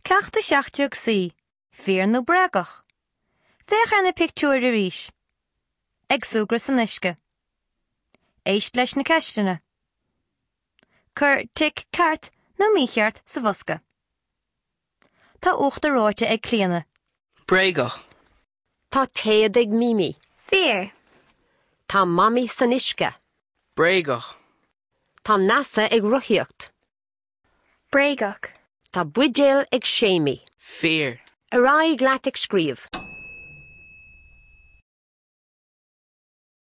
Ceacht 17C, Fíor nó Bréagach? Féach ar na pictiúir arís. Ag súgradh san uisce. Éist leis na ceisteanna. Cuir tic ceart nó mícheart sa bhosca. Tá uachtar reoite ag Clíona. Bréagach. Tá téad ag Mimi. Fíor. Tá Mamaí san uisce. Bréagach. Tá Neasa ag rothaíocht. Bréagach. Tá buidéal ag Séimí. Fíor. Ar aghaidh leat ag scríobh.